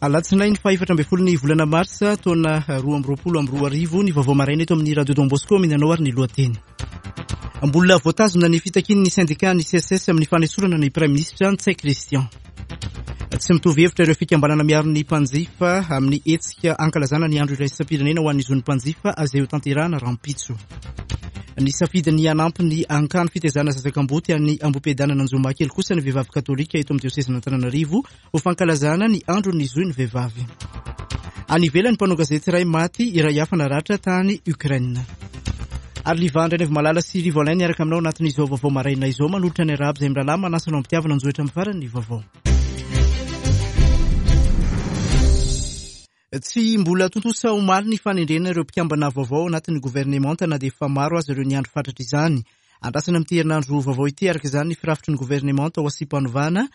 Alatsinainy faha 14 ny volana marsa taona 2022 ny vaovao maraina eto amin'ny Radio Don Bosco omena anao ary ny lohateny. Mbola voatazona ny fitakian'ny sendika ny CSS amin'ny fanesorana ny Praiminisitra Ntsay Christian. Tsy mitovy hevitra ireo fikambanana miaro ny mpanjifa amin'ny hetsika ankalazana ny andro iraisam-pirenena ho an'ny zon'ny mpanjifa izay hotanterahana rahampitso. Nisafidy ny hanampy ny ankany fitaizana zaza kamboty any Ambohipiadanana Anjomakely kosa ny vehivavy katolika eto amin'ny diosezin'Antananarivo ho fankalazana ny andron'ny zon'ny vehivavy. Any ivelany, mpanao gazety iray maty, iray hafa naratra tany Ukraine. Ary Liva Andrianaivomalala sy Rivo Alain niaraka aminao anatin'izao vaovao maraina izao manolotra ny arahaba izay mirahalahy manasa anao am-pitiavana anjohitra amin'ny farany ny vaovao. Tsy mbola tontosa omaly ny fanendrena ireo mpikambana vaovao ao anatin'ny governemanta na dia efa maro aza ireo niandry fatratra izany. Andrasana amin'ity herinandro vaovao ity araka izany ny firafitry ny governemanta ho asiam-panovana.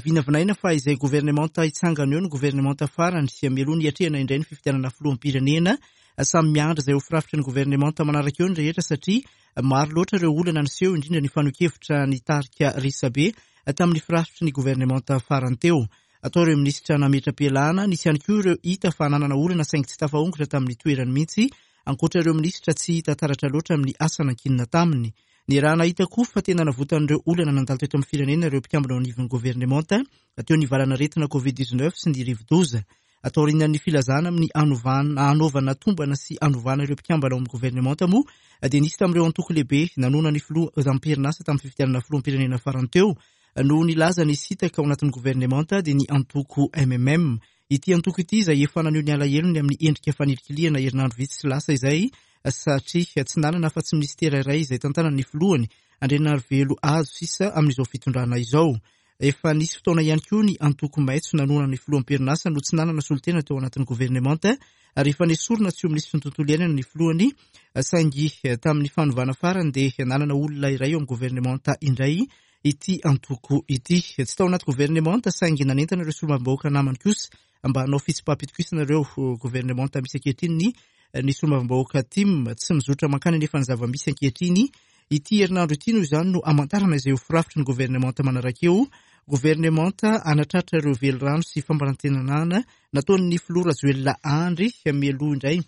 Vinavinaina fa izay governemanta hitsangana eo no governemanta farany mialoha ny hiatrehana indray ny fifidianana filoham-pirenena. Samy miandry izay ho firafitry ny governemanta manaraka eo ny rehetra satria maro loatra ireo olana niseho indrindra ny fanehoan-kevitra nitarika resabe tamin'ny firafitry ny governemanta farany teo. Atao ireo minisitra nametra-pialana, nisy ihany koa ireo hita fa nanana olana saingy tsy tafaongotra tamin'ny toerany mihitsy, ankoatra ireo minisitra tsy hita taratra loatra amin'ny asa nankinina taminy. Niaraha-nahita koa fa tena navotan'ireo olana nandalo teto amin'ny firenena ireo mpikambana ao anivon'ny governemanta, teo ny valan'aretina Covid 19 sy ny rivodoza. Taorian'ny filazana amin'ny hanaovana tombana sy hanovana ireo mpikambana ao amin'ny governemanta moa dia nisy tamin'ireo antoko lehibe nanohana ny filoha am-perinasa tamin'ny fifidianana filoham-pirenena farany teo no nilaza ny hisintaka ao anatin'ny governemanta dia ny antoko mmm. Ity antoko ity izay efa naneho ny alahelony amin'ny endrika fanilikilihana herinandro vitsy lasa izay satria tsy nanana afa-tsy minisitera iray izay tantanan'ny filohany Andrianarivelo Hajo sisa amin'izao fitondrana izao. Efa nisy fotoana ihany koa ny antoko maitso nanohana ny filoham-perinasa no tsy nanana solontena teo anatin'ny governemanta ary efa nesorina tsy ho minisitry ny tontolo iainana ny filohany saingy tamin'ny fanovana farany dia nanana olona iray eo amin'ny governemanta indray ity antoko ity. Tsy tao anaty governemanta saingy nanentana ireo solombavambahoaka namany kosa mba hanao fitsipaham-pitokisana ireo governemanta misy ankehitriny ny ny solombavambahoaka tim. Tsy mizotra mankany anefa ny zava-misy ankehitriny. Ity herinandro ity noho izany no hamantarana izay ho firafitry ny governemanta manaraka eo. Governemanta hanatratra ireo velirano sy fampanantenana nataon'ny filoha Rajoelina Andry mialoha indray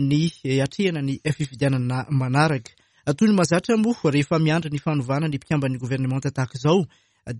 ny hatrehana ny fifidianana manaraka. Toy ny mahazatra moa, rehefa miandry ny fanovana ny mpikamban'ny governemanta tahaka izao,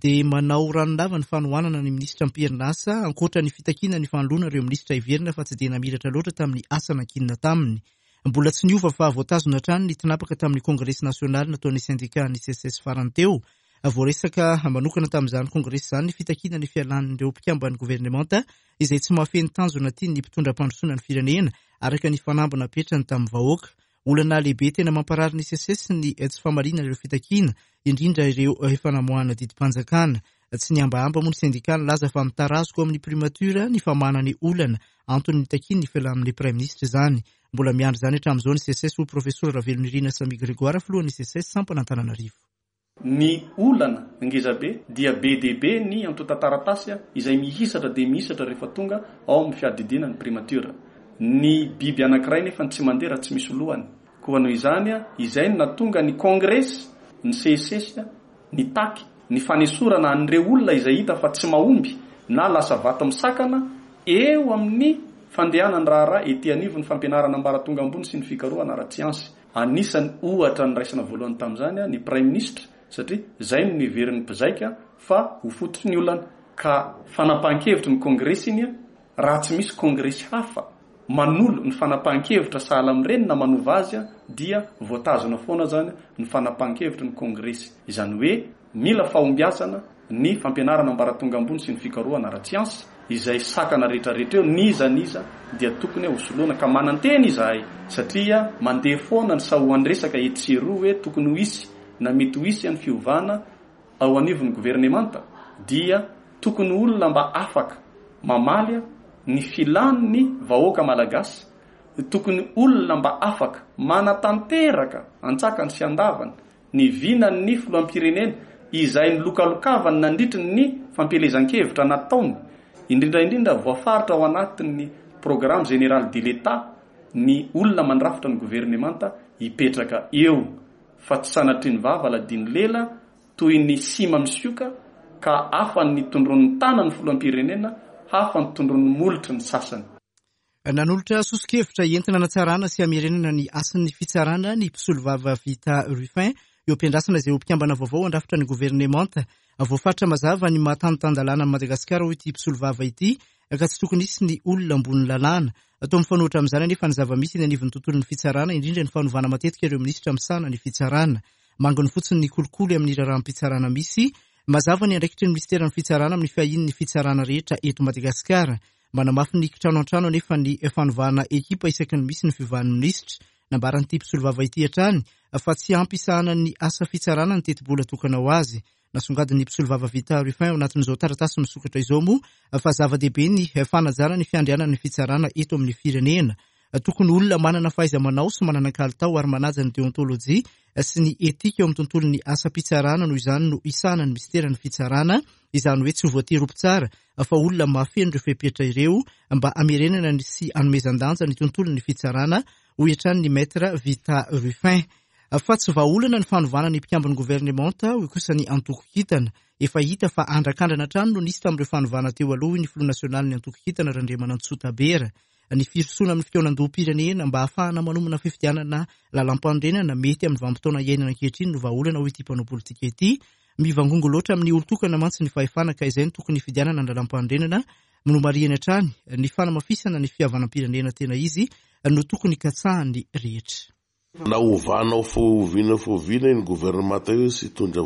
dia manao ranolava ny fanohanana ny minisitra am-perinasa, ankoatra ny fitakiana ny fanoloana ireo minisitra heverina fa tsy dia namiratra loatra tamin'ny asa nankinina taminy. Mbola tsy niova fa voatazona hatrany ny tinapaka tamin'ny kongresy nasionaly nataon'ny sendikan'ny SECES farany teo. Voaresaka manokana tamin'izany kongresy izany ny fitakiana ny fialan'ireo mpikamban'ny governemanta izay tsy mahafehy ny tanjona tian'ny mpitondra hampandrosoana ny firenena, araka ny fanamby napetrany tamin'ny vahoaka. Olana lehibe tena mamparary ny SECES ny tsy famaliana ireo fitakiana, indrindra ireo efa namoahana didim-panjakana. Tsy nihambahamba moa ny sendika nilaza fa mitarazoka ao amin'ny primature ny famahana ny olana, antony nitakiany ny fialan'ny praiminisitra izany. Mbola miandry izany hatramin'izao ny SECES, hoy Profesora Ravelonirina Samia Grégoire, filohan'ny SECES sampana Antananarivo. Ny olana ngezabe dia be dia be ny antontan-taratasy izay mihisatra dia mihisatra rehefa tonga ao amin'ny fiadidiana ny primature. Ny biby anankiray nefa tsy mandeha raha tsy misy lohany. Koa noho izany, izay no nahatonga ny kongresy, ny CSS, nitaky ny fanesorana an'ireo olona izay hita fa tsy mahomby na lasa vato misakana eo amin'ny fandehanan'ny raharaha ety anivon'ny fampianarana ambaratonga ambony sy ny fikarohana ara-tsiansa. Anisan'ny ohatra niraisana voalohany tamin'izany ny Praiminisitra satria izay no neverin'ny mpizaika fa ho fototry ny olana. Ka fanapahan-kevitry ny Kongresy iny raha tsy misy Kongresy hafa manolo ny fanapahan-kevitra sahala amin'ireny na manova azy dia voatazona foana izany ny fanapahan-kevitry ny Kongresy. Izany hoe Mila fahombiazana ny fampianarana ambaratonga ambony sy ny fikarohana ara-tsiansa, izay sakana rehetrarehetra eo, n'iza n'iza dia tokony hosoloana, ka manantena izahay satria mandeha foana ny sahoan-dresaka etsy sy eroa hoe tokony ho hisy na mety ho hisy ny fiovana ao anivon'ny governemanta, dia tokony olona mba afaka mamaly ny filan'ny vahoaka malagasy, tokony olona mba afaka manatanteraka antsakany sy andavany Ny vinan'ny filoham-pirenena izay nilokalokavany nandritry ny fampielezan-kevitra nataony, indrindra indrindra voafaritra ao anatin'ny Programme Général de l'Etat ny olona mandrafitra ny governemanta hipetraka eo fa tsy sanatria ny vava ladino lela toy ny sima misioka ka afa ny tondroin'ny tanan'ny filoham-pirenena. Hafa ny tondron'ny molotry ny sasany. Nanolotra soso-kevitra entina hanatsarana sy hamerenana ny hasin'ny fitsarana ny mpisolovava Vita Ruffin eo am-piandrasana izay ho mpikambana vaovao handrafitra ny governemanta. Voafaritra mazava ny maha tany tan-dalàna an'i Madagasikara hoy ity mpisolovava ity ka tsy tokony hisy ny olona ambony lalàna. Toa mifanohitra amin'izany anefa ny zava-misy eny anivon'ny tontolon'ny fitsarana, indrindra ny fanovana matetika ireo minisitra misahana ny fitsarana. Manginy fotsiny ny kolikoly amin'ny raharaham-pitsarana misy. Mazava ny andraikitry ny minisiteran'ny fitsarana amin'ny fiahiany ny fitsarana rehetra eto Madagasikara. Manamafy ny kitrano an-trano anefa ny fanovana ekipa isaky ny misy ny fiovan'ny minisitra. Nambaran'ity mpisolovava ity hatrany fa tsy ampy isahanan'ny asa fitsarana ny tetibola tokana ho azy. Nasongadin'ny mpisolovava Vita Ruffin ao anatin'izao taratasy misokatra izao moa fa zava-dehibe ny fanajana ny fiandrianan'ny fitsarana eto amin'ny firenena. Tokony olona manana fahaiza-manao sy manana kalitao ary manaja ny deontolojia sy ny etika eo amin'ny tontolon'ny asam-pitsarana noho izany no hisahana ny minisiteran'ny fitsarana, izany hoe tsy voatery ho mpitsara fa olona mahafeno ireo fepetra ireo mba hamerenana ny sy hanomezan-danja ny tontolon'ny fitsarana, hoy hatrany ny Maître Vita Ruffin. Fa tsy vahaolana ny fanovana ny mpikambon'ny governemanta, hoy kosa ny antoko Kintana. Efa hita fa andrakandrana hatrany no nisy tamin'ireo fanovana teo aloha, hoy ny filoha nasionalin'ny antoko Kintana, Randriamanantsoa Tabera. Ny firosoana amin'ny fikaonandoham-pirenena mba hahafahana manomana fifidianana lalàmpanorenana mety amin'ny vanim-potoana iainana ankehitriny no vahaolana, hoy ity mpanao politika ity. Mivangongo loatra amin'ny olon-tokana mantsy ny fahefana ka izay no tokony hifidianana ny lalàmpanorenana. Nomarihiny hatrany ny fanamafisana ny fihavanam-pirenena tena izy no tokony katsahan'ny rehetra. Na ovanao foviana foviana iny gouvernemanta io tsy hitondra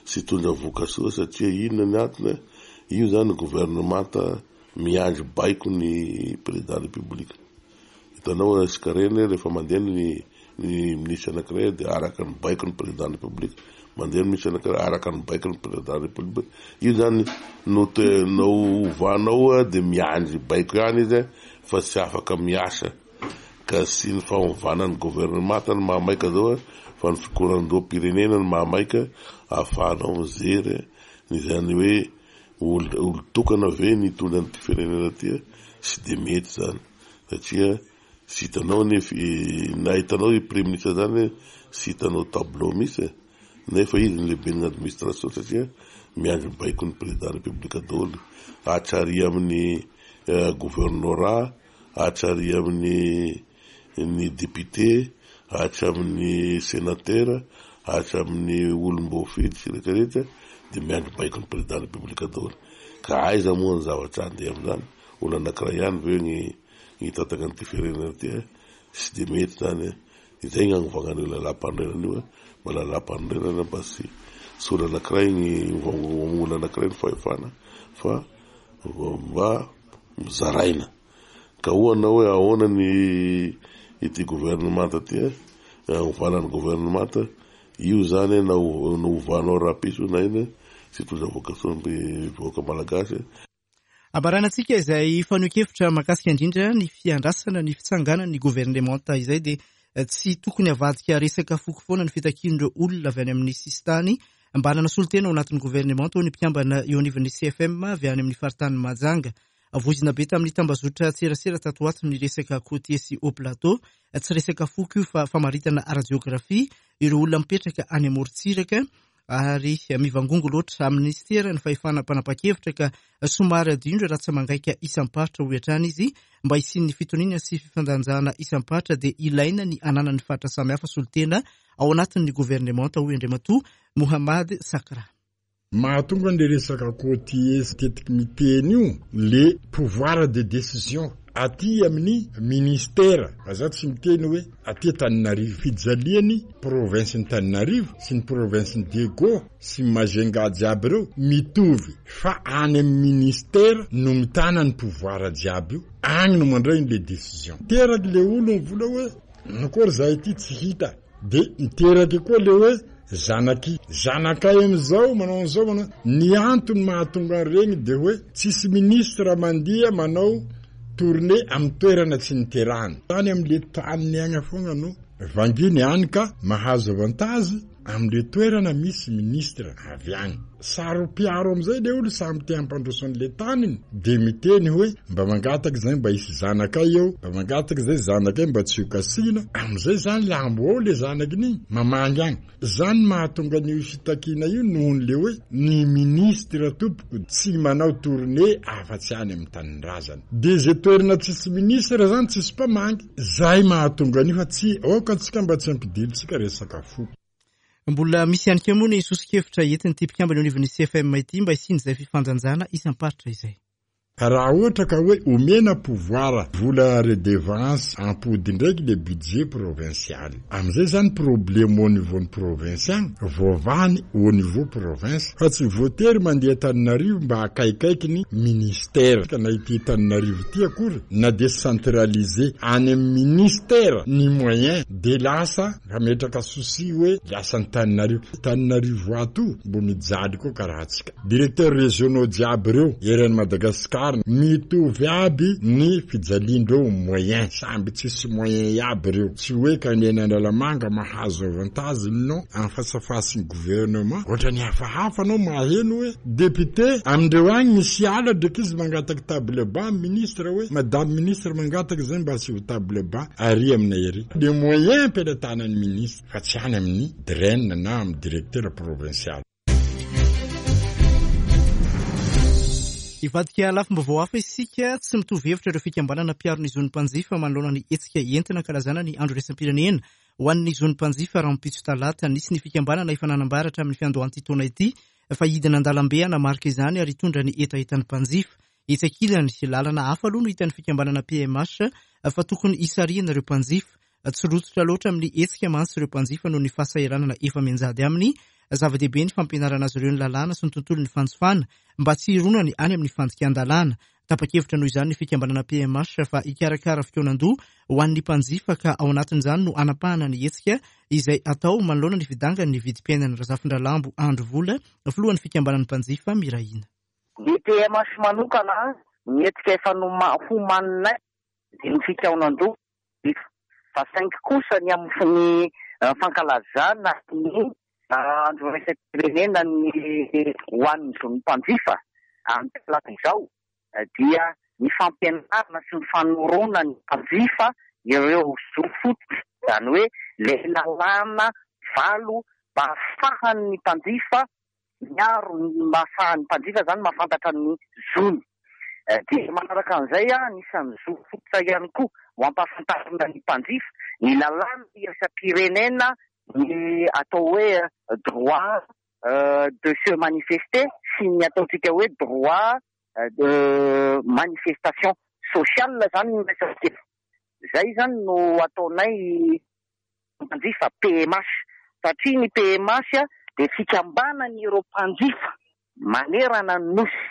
tsy hitondra vokasoa satria inona ny antony io zany gouvernemanta miandry baiko ny président république hitanao resaka reny rehefa mandeha ny ny ministre anakiray dia araka ny baiko ny président république mandeha ny ministre anakiray araka ny baiko ny président république io zany no te no ovanao dia miandry baiko ihany izy fa tsy afaka miasa Ka tsy ny fanovana ny governemanta no mahamaika zao fa ny fikorandoham-pirenena no mahamaika ahafahanao mijery ny izany hoe olon-tokana ve ny hitondra an'ity firenena ity tsy dia mety zany satria tsy hitanao anie na hitanao io premier ministre zany tsy hitanao tableau mihitsy e nefa izy ny lehiben'ny administration satria miandry baikon'ny président république daholo hatrary amin'ny governorat hatrary amin'ny ny député, hatramin'ny sénateur, hatramin'ny olom-boafidy sy rehetra rehetra dia miandry baikon'ny président république daholo. Ka aiza moa ny zavatra handeha amin'izany? Olona anankiray ihany ve ny hitantana an'ity firenena ity? Tsy dia mety izany. Izay ny hanovana an'io lalàmpanorenana io, mba lalàmpanorenana mba tsy tsy olona anankiray ny olona anankiray ny fahefana fa mba zaraina. Ka hoy anao hoe ahoana ny ity gouvernemanta ity eh? Ovana ny gouvernemanta, io zany na ovanao rahampitso na inona tsy hitondra voka-tsoa ny vahoaka malagasy. Ambaranantsika izay fanehoan-kevitra mahakasika indrindra ny fiandrasana ny fitsanganan'ny governemanta izay dia tsy tokony havadika resaka foko foana ny fitakian'ireo olona avy any amin'ny sisintany mba hanana solontena ao anatin'ny governemanta hoy ny mpikambana eo anivon'ny CFM avy any amin'ny faritanin'i Mahajanga. Voizina be tamin'ny tambazotra tserasera tato ho ato ny resaka côtier sy haut plateau. Tsy resaka foko io fa famaritana ara-jeografia ireo olona mipetraka any amorontsiraka ary mivangongo loatra amin'ny minisitera ny fahefana mpanapa-kevitra ka somary adino ireo ratsa-mangaika isam-paritra hoy hatrany izy. Mba hisian'ny fitoniana sy fifandanjana isam-paritra dia ilaina ny hananan'ny faritra samihafa solontena ao anatin'ny governemanta hoy Andriamatoa Mohamad Sakra. Mahatonga an'le resaka côtier tetiky miteny io le pouvoir de décision aty amin'ny ministère, fa za tsy miteny hoe aty Antananarivo, fijaliany province-n'i Tananarivo sy ny province-n'i Diego sy Majunga jiaby reo mitovy fa any amin'ny ministère no mitana ny pouvoir jiaby io, agny no mandray an'le décision. Teraky le olo mivola hoe akory zahay ty tsy hita. De miteraka koa le hoe zanaky zanakay amizao manao an'izao manao, ny antony mahatonga an'iregny de hoe tsisy ministre mandia manao tournée amin'ny toerana tsy niterahany, any amle taniny agny fogna no vanginy any ka mahazo avantage. amin'le toerana misy ministre avy agny. Saro-piaro amizay le olo samy te hampandroso an'le taniny de miteny hoe mba mangataky zay mba hisy zanakay eo, mba mangataky zay zanakay mba tsy ho kasihina, amizay zany lambo ao le zanakin'igny mamangy agny. Zany mahatonga an'io fitakiana io nohon'le hoe ny ministre tompoko tsy manao tournée afa-tsy any amin'ny tanindrazany. De ze toerana tsisy ministre zany tsisy mpamangy. Zay mahatonga an'io fa tsy aoka antsika mba tsy ampidirintsika resaka foko. Mbola misy ihany koa moa ny soso-kevitra entin'ity mpikambana eo anivon'ny CFM ity mba hisian'izay fifandanjana isam-paritra izay. Raha ohatra ka hoe omena pouvoir vola redevance ampody ndraiky le budget provincial. Amizay zany problème au niveau ny province agny voavahany au niveau province fa tsy voatery mandeha Antananarivo mba akaikaiky ny ministère. Na ity Antananarivo ity akory na décentraliser any amin'ny ministère ny moyen de lasa Hametraka souci hoe lasa Antananarivo. Antananarivo ato mbo mijaly koa karaha antsika. Directeurs régionaux jiaby reo eran'i Madagascar mitovy aby ny fijaliandreo moyen. Samby tsisy moyen iaby reo. Tsy hoe ka ny eny Analamanga mahazo avantage non. Anfasafasin'ny gouvernement. Ohatrany hafahafa anao maheno hoe Député amindreo agny misy ala dreky izy mangataky table banc ministre hoe madame ministre mangataky zay mba asivo table banc ary aminay ary. Le moyen ampelatanan'ny ministre fa tsy any amin'ny DREN na amin'ny directeur provincial. Hivadika lafim-baovao hafa isika, tsy mitovy hevitra ireo fikambanana mpiaro ny zon'ny mpanjifa manoloana ny hetsika entina ankalazana ny andro iraisam-pirenena ho an'ny zon'ny mpanjifa rahampitso talata. Nisy ny fikambanana efa nanambara hatramin'ny fiandohan'ity taona ity fa hidina an-dalambe hanamarika izany ary hitondra ny hetahetan'ny mpanjifa. Etsy ankilany, lalana hafa aloha no hitan'ny fikambanana PMH fa tokony hisarihana ireo mpanjifa. Tsy rototra loatra amin'ny hetsika mantsy ireo mpanjifa noho ny fahasahiranana efa mianjady aminy. Zava-dehibe ny fampianarana azy ireo ny lalàna sy ny tontolon'ny fanjifana mba tsy hironany any amin'ny fandikan-dalàna. Tapa-kevitra noho izany ny fikambanana PMH fa hikarakara fikaonandoha ho an'ny mpanjifa ka ao anatin'izany no hanapahana ny hetsika izay atao manoloana ny fidangan'ny vidim-piainana. Razafindralambo Andry Vola, filohan'ny fikambanan'ny mpanjifa Mirahina. Ny PMH manokana, ny hetsika efa homaninay dia ny fikaonandoha mpanjifa fa saingy kosa ny amin'ny fankalazana ny andro iraisam-pirenena ny ho an'ny zon'ny mpanjifa amin'ny talata izao dia ny fampianarana sy ny fanoroana ny mpanjifa ireo zo fototra, izany hoe ilay lalàna valo mba ahafahan'ny mpanjifa miaro ny mba ahafahan'ny mpanjifa izany mahafantatra ny zony. Dia manaraka an'izay, anisan'ny zo fototra ihany koa ho ampahafantarina ny mpanjifa ny lalàna iraisam-pirenena ny atao hoe droit de se manifester sy ny ataontsika hoe droit de manifestation sociale izany no resaka eto. Izay izany no ataonay mpanjifa PMH satria ny PMH dia fikambanan'ireo mpanjifa manerana ny Nosy.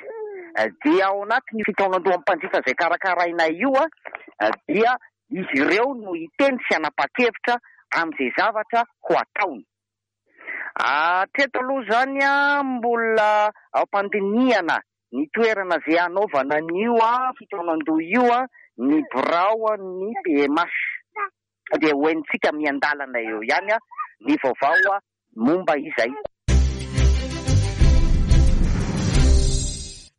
Dia ao anatin'io fikaonandohan'ny mpanjifa izay karakarainay io dia izy ireo no hiteny sy hanapa-kevitra amin'izay zavatra ho ataony. Hatreto aloha izany mbola ao am-pandinihana ny toerana izay hanaovana an'io fikaonandoha io ny biraon'ny PMH. Dia ho henontsika miandalana eo ihany ny vaovao momba izay.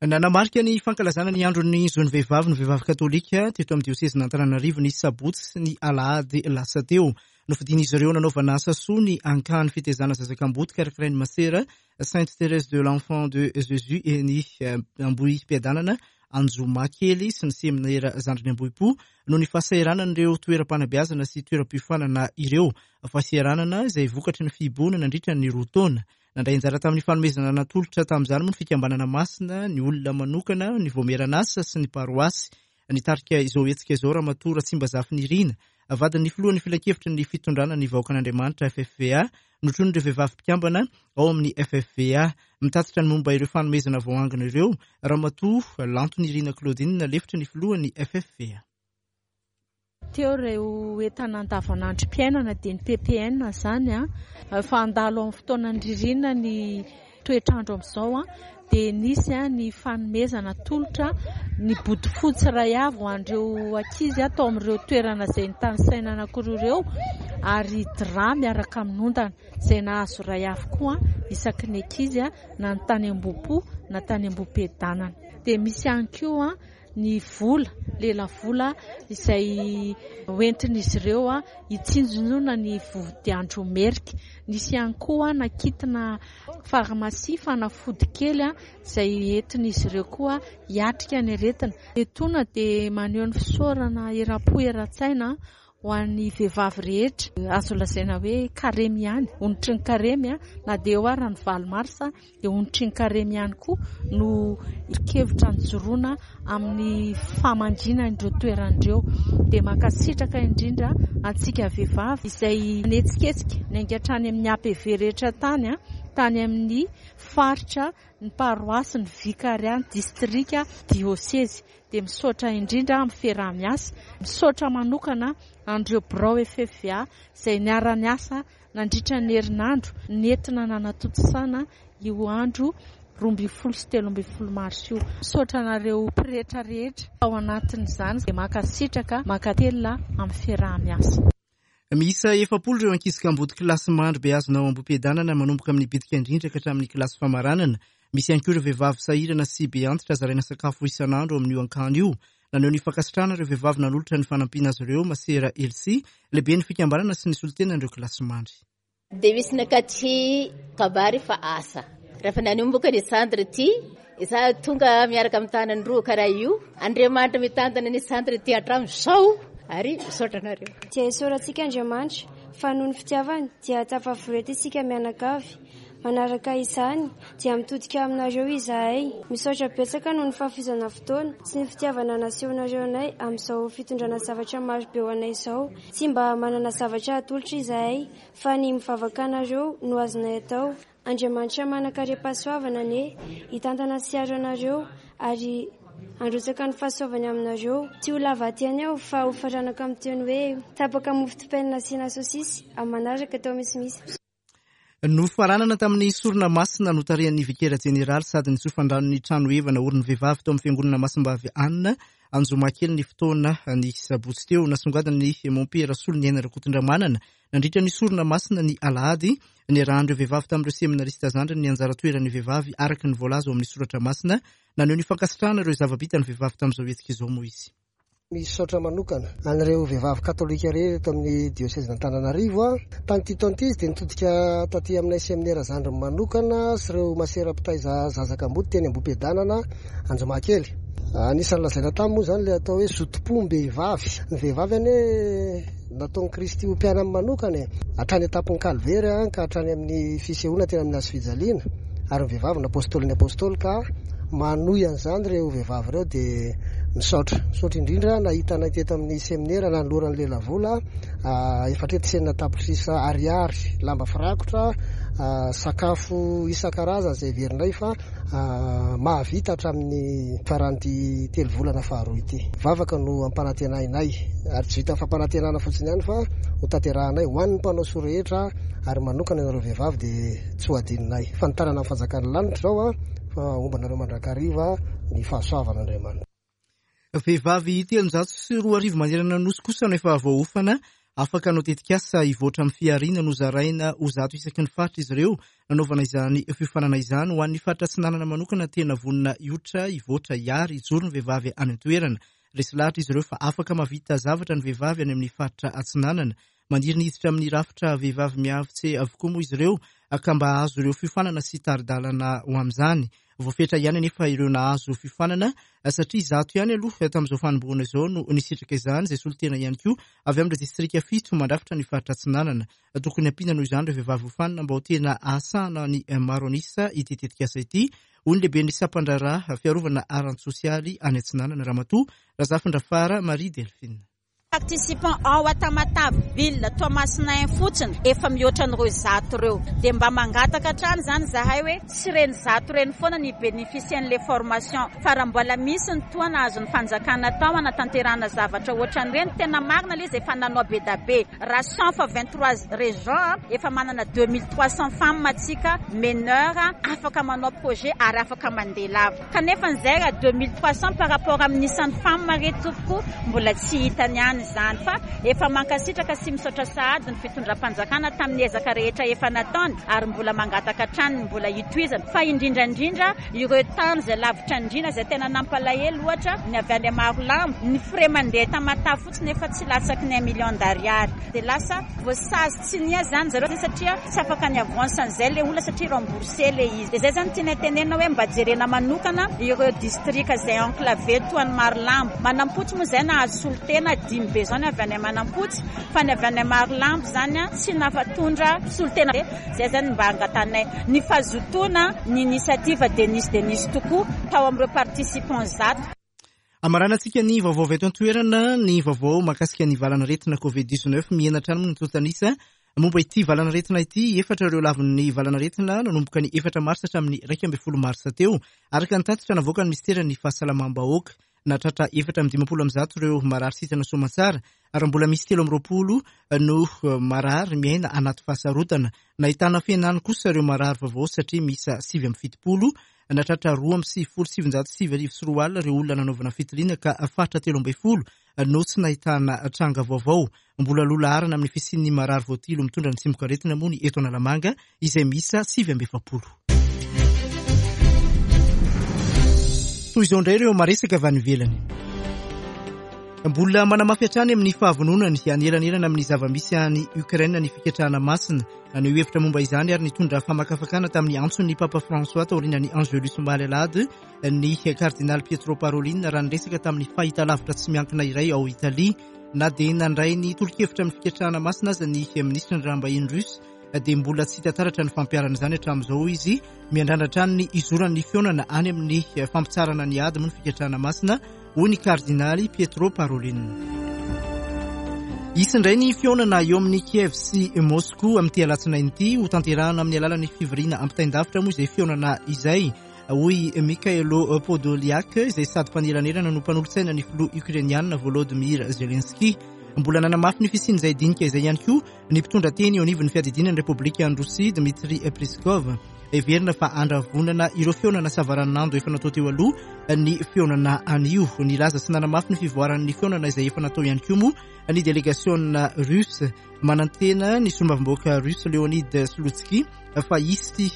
Nanamarika ny fankalazana ny andron'ny zon'ny vehivavy ny vehivavy katolika teto amin'ny diosezin'Antananarivo ny sabotsy sy ny alahady lasa teo. Nofidin'izy ireo nanaovana asa soa ny ankany fitezana zaza kamboty karakarain'ny masera Sainte Thérèse de l'Enfant de Jésus eny Ambohipiadanana Anjomakely sy ny seminera Zandriny Ambohipo noho ny fahasahiranan'ireo toeram-panabeazana sy toeram-piofanana ireo. Fahasahiranana izay vokatry ny fihibohana nandritra ny roa taona. Nandray anjara tamin'ny fanomezana natolotra tamin'izany moa ny fikambanana masina, ny olona manokana, ny vaomieran'asa sy ny paroasy. Nitarika izao hetsika izao Ramatoa Ratsimbazafy Nirina, vadin'ny filohan'ny filankevitry ny fitondrana ny vahoakan'Andriamanitra, FFVA, notronin'ireo vehivavy mpikambana ao amin'ny FFVA. Mitatitra ny momba ireo fanomezana voaangona ireo Ramatoa Lanto Nirina Claudine, lefitry ny filohan'ny FFVA. Teo ireo entana andavanandrom-piainana dia ny ppn izany an, efa handalo amin'ny fotoanan'ny ririnina ny toetr'andro amin'izao an, Dia nisy ny fanomezana tolotra ny bodofotsy iray avy ho an'ireo ankizy tao amin'ireo toerana izay nitanisaina anankiroa ireo ary drap miaraka amin'ny ondana izay nahazo iray avy koa isaky ny ankizy na ny tany Ambohipo na tany Ambohipiadanana. Dia misy ihany koa ny vola, lelavola izay hoentin'izy ireo hitsinjona ny vodiandro merika. Nisy ihany koa nakitina farmasia fanafody kely izay entin'izy ireo koa hiatrika ny aretina. Etoana dia maneho ny fisaorana eram-po eran-tsaina Ho an'ny vehivavy rehetra, azo lazaina hoe karemy ihany, onitry ny karemy, na dia eo ara ny 8 marsa dia onitry ny karemy ihany koa no kevitra nijoroana amin'ny famangiana ireo toerana ireo. Dia mankasitraka indrindra antsika vehivavy izay nihetsiketsika niainga hatrany amin'ny APV rehetra tany, tany amin'ny faritra, ny paroasy, ny vikaria, ny distrika, diosezy. Dia misaotra indrindra amin'ny fiaraha-miasa. Misaotra manokana an'ireo birao FFVA izay niara-niasa nandritra ny herinandro nentina nanatontosana io andro 12 sy 13 marsa io. Misaotra anareo pretra rehetra tao anatin'izany. Dia mankasitraka, mankatelina amin'ny fiaraha-miasa. Miisa 40 ireo ankizy kamboty kilasy mandry beazina ao Ambohipiadanana manomboka amin'ny bitika indrindra ka hatramin'ny kilasy famaranana. Misy ihany koa ireo vehivavy sahirana sy be antitra zaraina sakafo isan'andro ao amin'io ankany io. Naneho ny fankasitrahana ireo vehivavy nanolotra ny fanampiana azy ireo Masera Elsie, lehiben'ny fikambanana sy ny solontenan'ireo kilasy mandry. Dia misy nakaty kabary fa asa. Rehefa nanomboka ny centre ty, izaho tonga miaraka amin'ny tanany roa karaha io. Andriamanitra mitantana ny centre ty hatramin'izao ary misaotra anareo. Dia isaorantsika Andriamanitra fa noho ny fitiavany dia tafavory eto isika mianakavy. Manaraka izany dia mitodika aminareo izahay. Misaotra betsaka noho ny fahafoizana fotoana sy ny fitiavana nasehonareo anay amin'izao fitondrana zavatra maro be ho anay izao. Tsy mba manana zavatra atolotra izahay fa ny mivavaka anareo no azonay atao. Andriamanitra manan-karem-pahasoavana anie hitantana sy hiaro anareo ary handrotsaka ny fahasoavany aminareo. Tsy ho lava aty ihany aho fa ho faranako amin'ny teny hoe tapaka mofo dipaina nasiana saosisy amin'ny manaraka atao misimisy. Nofaranana tamin'ny sorona masina notarihan'ny Vikera Jeneraly sady nitsofan-drano ny trano heva naorin'ny vehivavy tao amin'ny Fiangonana Masimbavy Anna Anjomakely ny fotoana ny sabotsy teo. Nasongadin'ny Mompera Soloniaina Rakotondramanana nandritra ny sorona masina ny alahady niarahan'ireo vehivavy tamin'ireo seminarista zandriny ny anjara toeran'ny vehivavy araka ny voalaza ao amin'ny soratra masina. Naneho ny fankasitrahana ireo zava-bitan'ny vehivavy tamin'izao hetsika izao moa izy. Misaotra manokana an'ireo vehivavy katolika rehetra eto amin'ny diosezin'Antananarivo aho. Tamin'ity taona ity izy dia nitodika taty aminay seminera zandriny manokana sy ireo masera mpitaiza zaza kamboty teny Ambohipiadanana Anjomakely. Anisan'ny lazaina taminy moa izany ilay atao hoe zotom-pom-behivavy. Ny vehivavy anie nataon'i Kristy ho mpianany manokana e! Hatrany an-tampon'ny Kalvery ka hatrany amin'ny fisehoana teny amin'ny hazofijaliana. Ary ny vehivavy no apostolin'ny apostoly ka manohy an'izany ireo vehivavy ireo dia misaotra. Misaotra indrindra nahita anay teto amin'ny seminera nanoloran'ny lelavola 64 tapitrisa ariary, lamba firakotra, sakafo isan-karazany izay heverinay fa mahavita hatramin'ny faran'ity telo volana faharoa ity. Vavaka no ampanantenainay ary tsy vitan'ny fampanantenana fotsiny ihany fa ho tanterahanay ho an'ny mpanao soa rehetra ary manokana ianareo vehivavy dia tsy ho adinonay. Fanitarana ny fanjakan'ny lanitra izao an, fa homba anareo mandrakariva ny fahasoavan'Andriamanitra. Vehivavy 2300 manerana ny Nosy kosa no efa voaofana afaka hanao tetikasa hivoatra amin'ny fihariana. Nozaraina ho 100 isaky ny faritra izy ireo nanaovana izany fiofanana izany. Ho an'ny faritra Atsinanana manokana, tena vonona hiotra, hivoatra, hiary, hijoro ny vehivavy any an-toerana. Resy lahatra izy ireo fa afaka mahavita zavatra ny vehivavy any amin'ny faritra Atsinanana. Maniry ny hiditra amin'ny rafitra vehivavy miavotse avokoa moa izy ireo ka mba hahazo ireo fiofanana sy tari-dalana ho amin'izany. Voafetra ihany anefa ireo nahazo fiofanana satria 100 ihany aloha tamin'izao fanombohana izao no nisitraka izany, izay solontena ihany koa avy amin'ireo distrika fito mandrafitra ny faritra Atsinanana. Tokony hampiana noho izany ireo vehivavy hofanina mba ho tena hahasahana ny maro an'isa ity tetikasa ity, hoy ny lehiben'ny sampandraharaha fiarovana ara-tsosialy any Atsinanana, Ramatoa Razafindrafara Marie Delphine. participants ao a Tamatave ville Toamasina 1 fotsiny efa mihoatra an'ireo 100 ireo. Dia mba mangataka hatrany izany izahay hoe tsy ireny 100 ireny foana ny hi-beneficier an'ilay formation fa raha mbola misy ny tohana azon'ny fanjakana atao hanatanterahana zavatra ohatran'ireny, tena marina ilay izy efa nanao be da be. Raha 100 fois 23 régions efa manana 2300 femmes atsika meneur afaka manao projet ary afaka mandeha lava. Kanefa izay raha 2300 par rapport amin'ny isan'ny femmes re tompoko mbola tsy hitany ihany izany fa efa mankasitraka sy misaotra sahady ny fitondram-panjakana tamin'ny ezaka rehetra efa nataony ary mbola mangataka hatrany ny mbola hitohizana fa indrindra indrindra ireo tany izay lavitra andriana izay tena nampalahelo ohatra ny avy any Marolambo ny frais mandeha Tamatave fotsiny efa tsy latsaky ny un million d'ariary dia lasa voasazy tsy niha zany zareo satria tsy afaka ny avance an'izay le olona satria remboursé le izy dia zay zany tianay tenenina hoe mba jerena manokana ireo distrika izay enclavé toa an'i Marolambo Manampotsy moa izay nahazo solontena dimy be zao ny avy any Manampotsy fa ny avy any Marolambo zany tsy nafatondra solontena zay zany mba angatanay ny fahazotoana ny initiative dia nisy dia nisy tokoa tao amin'ireo participants 100. Amaranantsika ny vaovao avy eto an-toerana, ny vaovao mahakasika ny valanaretina Covid 19. Mihena hatrany moa ny antontan'isa momba ity valanaretina ity. Efatra ireo lavon'ny valanaretina nanomboka ny 4 marsa hatramin'ny 11 marsa teo, araka ny tatitra navoakan'ny minisiteran'ny Fahasalamam-bahoaka. Nahatratra 154 ireo marary sitrana soamantsara ary mbola misy 23 no marary miaina anaty fahasarotana. Nahitana fihenany kosa ireo marary vaovao satria miisa 79. Nahatratra 1992 ireo olona nanaovana fitiliana ka faritra 13 no tsy nahitana tranga vaovao. Mbola loha laharana amin'ny fisian'ny marary voatily mitondra ny tsimokaretina moa ny eto Analamanga izay miisa 49. Toy izao indray ireo maresaka avy any ivelany. Mbola manamafy hatrany amin'ny fahavononany hanelanelana amin'ny zava-misy any Ukraine ny fiketrahana masina. Naneho hevitra momba izany ary nitondra famakafakana tamin'ny antson'ny Papa François taorian'ny Angelus omaly alahady ny Kardinaly Pietro Parolin raha niresaka tamin'ny fahitalavitra tsy miankina iray ao Italia. Na dia nandray ny tolo-kevitra amin'ny fiketrahana masina aza ny minisitry ny raharaham-bahiny russe dia mbola tsy hita taratra ny fampiharana izany hatramin'izao, hoy izy. Miandrandra hatrany ny hizoran'ny fihaonana any amin'ny fampitsaharana ny ady moa ny fiketrahana masina, hoy ny kardinaly Pietro Parolin. Hisy indray ny fihaonana eo amin'i Kiev sy Moscou amin'ity alatsinainy ity. Hotanterahana amin'ny alalan'ny fivoriana ampitain-davitra moa izay fihaonana izay, hoy Mykhailo Podolyak, izay sady mpanelanelana no mpanolotsaina ny filoha Ukrainiana Volodymyr Zelensky. Mbola nanamafy ny fisian'izay dinika izay ihany koa ny mpitondra teny eo anivon'ny fiadidiana ny Repoblikan'i Rosia, Dmitry Peskov. Heverina fa handravonana ireo fihaonana savaranonando efa natao teo aloha ny fihaonana anio. Nilaza sy nanamafy ny fivoaran'ny fihaonana izay efa natao ihany koa moa ny delegasiona russe. Manantena ny solombavambahoaka russe Leonid Slutsky fa hisy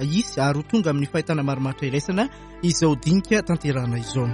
hisy ary ho tonga amin'ny fahitana marimaritra iraisana izao dinika tanterahana izao.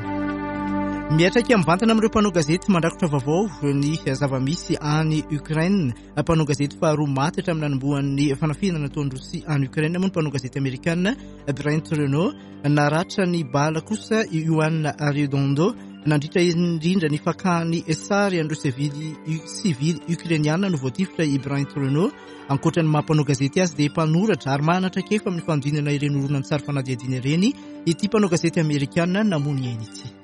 Miatraika mivantana amin'ireo mpanao gazety mandrakotra vaovao ny zava-misy any Ukraine. Mpanao gazety faharoa maty hatramin'ny nanombohan'ny fanafihana nataon'i Rosia any Ukraine moa ny mpanao gazety amerikana Brent Renaud. Naratra ny bala kosa i Juan Arredondo nandritra indrindra ny fakany sary an'ireo sivily sivily ukrainiana no voatifitra i Brent Renaud. Ankoatra ny maha mpanao gazety azy dia mpanoratra ary manana traikefa amin'ny fanodinana ireny horonantsary fanadihadiana ireny ity mpanao gazety amerikana namono ny ainy ity.